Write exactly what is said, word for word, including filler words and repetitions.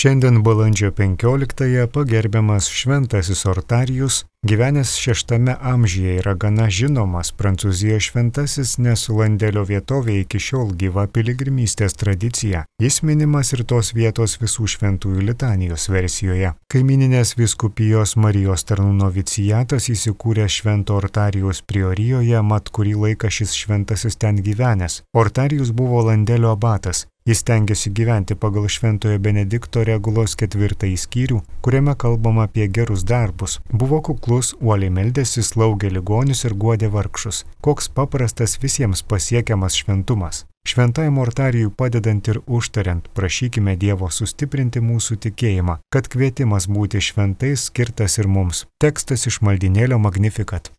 Šiandien balandžio penkioliktąją pagerbiamas šventasis Ortarijus, gyvenęs šeštame amžiuje, yra gana žinomas Prancūzijos šventasis, nes Landelio vietovė iki šiol gyva piligrimystės tradicija. Jis minimas ir tos vietos visų šventųjų litanijos versijoje. Kaimininės vyskupijos Marijos tarnų noviciatas įsikūręs Švento Ortarijaus priorijoje, mat kurį laiką šis šventasis ten gyvenęs. Ortarijus buvo Landelio abatas. Jis stengiasi gyventi pagal Šventojo Benedikto regulos ketvirtąjį skyrių, kuriame kalbama apie gerus darbus. Buvo kuklus, uoliai meldėsi, slaugė ligonius ir guodė vargšus. Koks paprastas visiems pasiekiamas šventumas. Šventajam Ortarijui padedant ir užtariant, prašykime Dievo sustiprinti mūsų tikėjimą, kad kvietimas būti šventais skirtas ir mums. Tekstas iš maldynėlio Magnificat.